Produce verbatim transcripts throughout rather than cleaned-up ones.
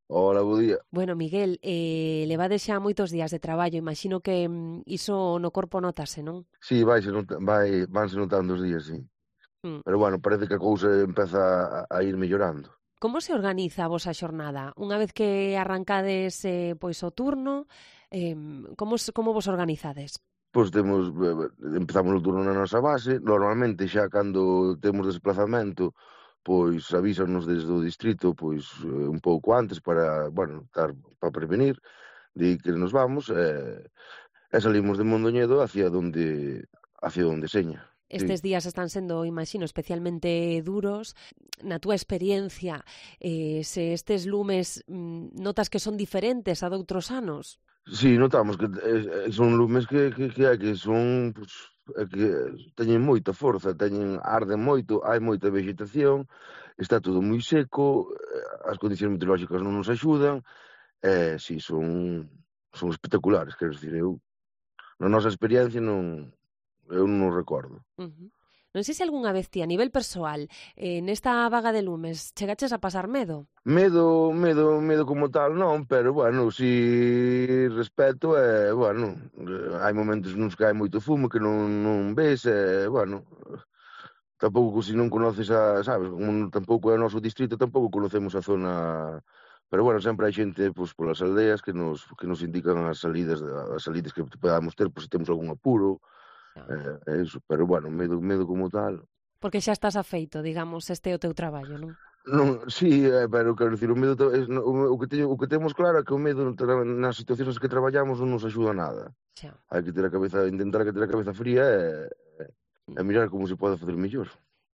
Hola, bo día. Bueno, Miguel, eh, levades xa moitos días de traballo, imagino que mm, iso no corpo notase, non? Sí, vaise nota, vai, vanse notando os días, sí. Mm. Pero bueno, parece que a cousa empeza a, a ir mellorando. Como se organiza a vosa xornada? Unha vez que arrancades eh, pois o turno, eh, como, se- como vos organizades? Pois temos, eh, empezamos o turno na nosa base, normalmente xa cando temos desplazamento, pois avísanos desde o distrito, pois eh, un pouco antes para, bueno, estar para prevenir de que nos vamos, e, e salimos de Mondoñedo hacia donde hacia donde seña. Sí. Estes días están sendo, imagino, especialmente duros. Na túa experiencia, eh, se estes lumes mm, notas que son diferentes a doutros anos? Sí, notamos que eh, eh, son lumes que, que, que hai que son pues, é que teñen moita forza, teñen arden moito, hai moita vegetación, está todo moi seco, eh, as condicións meteorolóxicas non nos axudan, e eh, si, son son espectaculares, quero dicir, eu na nosa experiencia non eu non o recordo. Ujú. Non sei se algunha vez ti, a nivel persoal, eh, nesta vaga de lumes, chegaches a pasar medo? Medo, medo, medo como tal non, pero bueno, si respeto e, bueno, eh, hai momentos nos que hai moito fumo que non, non ves e, bueno, tampouco se non conoces a, sabes, como tampouco é o noso distrito, tampouco conocemos a zona, pero bueno, sempre hai xente pois polas aldeas que nos que nos indican as salidas as salidas que podamos ter por se temos algún apuro, No. eh, e iso, pero bueno, medo medo como tal. Porque xa estás afeito, digamos, este é o teu traballo, non? Non, si, eh, pero quero dicir, o medo ta- es, no, o o que teño, o que temos claro é que o medo tra- nas situacións nas que traballamos non nos axuda a nada. Xa. Hai que ter a cabeza, intentar que ter a cabeza fría e, e mirar como se pode facer mellor.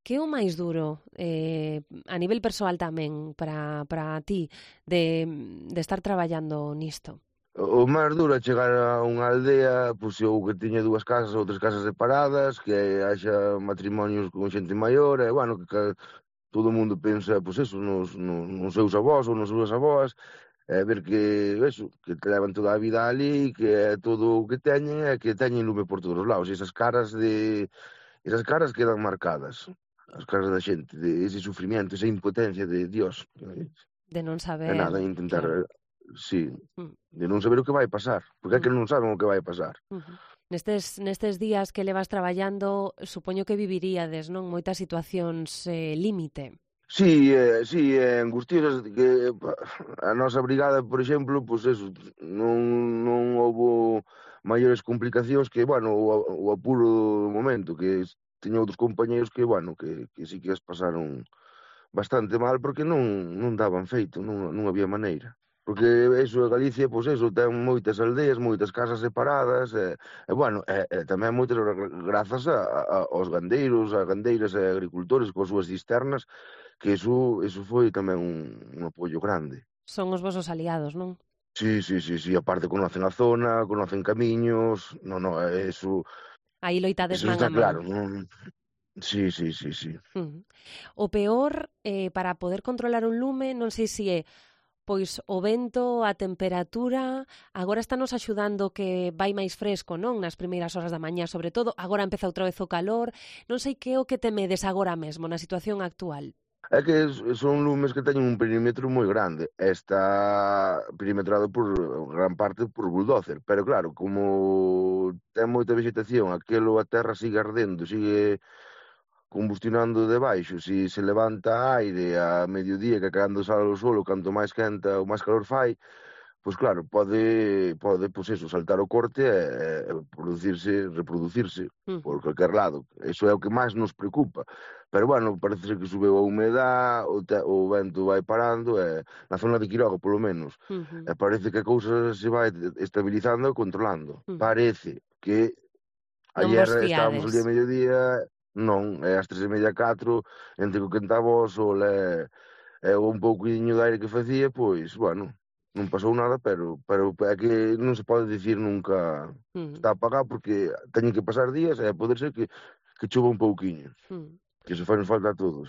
Que é o máis duro, eh, a nivel persoal tamén, para, para ti, de, de estar traballando nisto? O máis duro é chegar a unha aldea, pois eu que tiña dúas casas ou tres casas separadas, que haxa matrimonios con xente maior, e, bueno, que, que todo o mundo pensa, pois eso, nos, nos, nos seus avós ou nas súas avós, e ver que, eso, que te levan toda a vida ali, que é todo o que teñen, e que teñen lume por todos os lados, e esas caras de, esas caras quedan marcadas, as caras da xente, de ese sufrimiento, esa impotencia de Dios, De non é saber, nada, intentar, claro. sí, Mm, de non saber o que vai pasar, porque é mm, que non saben o que vai pasar. ujú. Nestes, nestes días que levas traballando, supoño que viviríades, non? Moitas situacións eh, límite. Sí, eh, sí, eh, angustiosas que pa, a nosa brigada, por exemplo, pois eso, non non houbo maiores complicacións que, bueno, o, o apuro do momento, que es- teño outros compañeiros que, bueno, que, que sí que as pasaron bastante mal porque non non daban feito, non non había maneira. Porque eso, Galicia, pois eso, ten moitas aldeas, moitas casas separadas, e, e bueno, e, e tamén moitas gra- grazas a, a, aos gandeiros, a gandeiras e agricultores coas súas cisternas, que iso, iso foi tamén un, un apoio grande. Son os vosos aliados, non? Sí, sí, sí, sí, aparte conocen a zona, conocen camiños, no, no, eso, Aí loitades eso man está a man. claro, non? Sí, sí, sí, sí. Ujú. O peor, eh, para poder controlar un lume, non sei se é pois o vento, a temperatura, agora estános axudando que vai máis fresco, non? Nas primeiras horas da mañá, sobre todo, agora empeza outra vez o calor, non sei que é o que temedes agora mesmo na situación actual. É que son lumes que teñen un perímetro moi grande, e está perimetrado por gran parte por bulldozer, pero claro, como ten moita vegetación, aquelo a terra sigue ardendo, sigue combustionando debaixo, si se levanta aire a mediodía, que cando sale o sol, canto máis quenta, o máis calor fai, pois claro, pode, pode pois eso, saltar o corte e, e producirse, reproducirse por Ujú, calquer lado. Eso é o que máis nos preocupa. Pero bueno, parece ser que subeu a humedad, o, te, o vento vai parando, e, na zona de Quiroga, polo menos. ujú, E parece que a cousa se vai estabilizando e controlando. ujú. Parece que Non ayer vos estábamos fiades. ali a mediodía, non, é ás tres e media, catro, entre que o quentaba o sol e, e un pouquiño de aire que facía, pois, bueno, non pasou nada, pero pero é que non se pode dicir nunca Ujú, está apagado porque teñen que pasar días e pode ser que que chova un pouquiño, ujú. que iso fai falta a todos.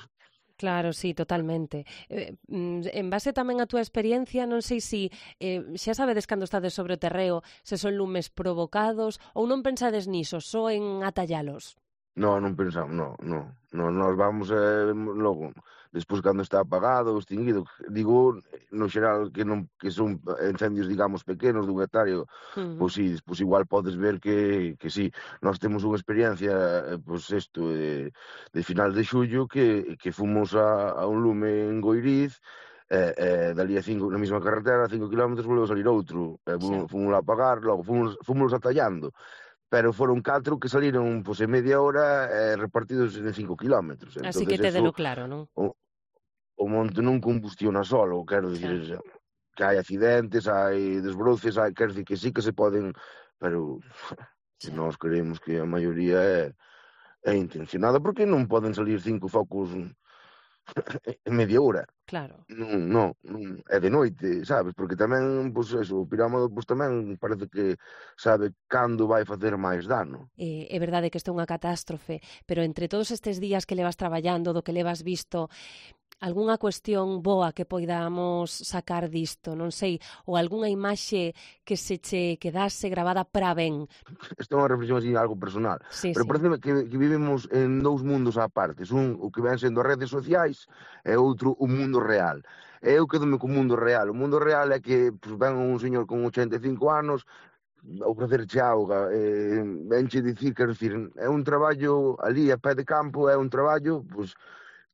Claro, sí, totalmente. Eh, mm, en base tamén á túa experiencia, non sei se eh, xa sabedes cando estades sobre o terreo se son lumes provocados ou non pensades niso, só en atallalos. Non, non pensamos, non, non, Nos, nos vamos eh, logo, despois cando está apagado ou extinguido, digo, no xeral que non que son incendios, digamos, pequenos dun hectárea, Uh -huh. pois si, pois igual podes ver que, que si, nós temos unha experiencia, eh, pois isto, de, de final de xullo, que, que fomos a, a un lume en Goiriz, e, eh, dali a cinco, na mesma carretera, a cinco kilómetros, volveu a salir outro, e Xa. fomos lá a pagar, logo fomos, fomos atallando, pero foron catro que saliron pois, en media hora eh, repartidos en cinco kilómetros. Así Entonces que eso, tédelo claro, non? o, o monte non combustiona solo, quero Xa. dicir, que hai accidentes, hai desbroces, hai, quero dicir que sí que se poden, pero que Xa. nós creemos que a maioría é, é intencionada, porque non poden salir cinco focos en media hora. Claro. Non, non, non, é de noite, sabes? Porque tamén, pois eso, o pirámide pois tamén parece que sabe cando vai facer máis dano. Eh, é verdade que isto é unha catástrofe, pero entre todos estes días que levas traballando, do que levas visto, algunha cuestión boa que poidamos sacar disto, non sei, ou algunha imaxe que se che quedase gravada para ben. Isto é unha reflexión así algo personal, Sí, pero sí. parece que, que vivimos en dous mundos á partes, un o que ven sendo as redes sociais e outro o mundo real. E eu quedome co mundo real. O mundo real é que pues, ven un señor con ochenta e cinco anos a ofrecerche auga, eh, venche dicir, quero dicir, é un traballo ali a pé de campo, é un traballo, pues,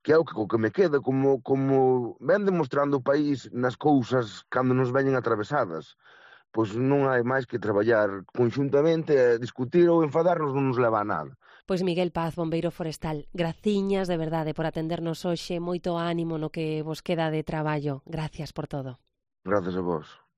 que é o que, o que me queda, como, como ven demostrando o país nas cousas cando nos veñen atravesadas. Pois non hai máis que traballar conxuntamente e discutir ou enfadarnos non nos leva a nada. Pois Miguel Paz, bombeiro forestal, graciñas de verdade por atendernos hoxe, moito ánimo no que vos queda de traballo. Gracias por todo. Grazas a vos.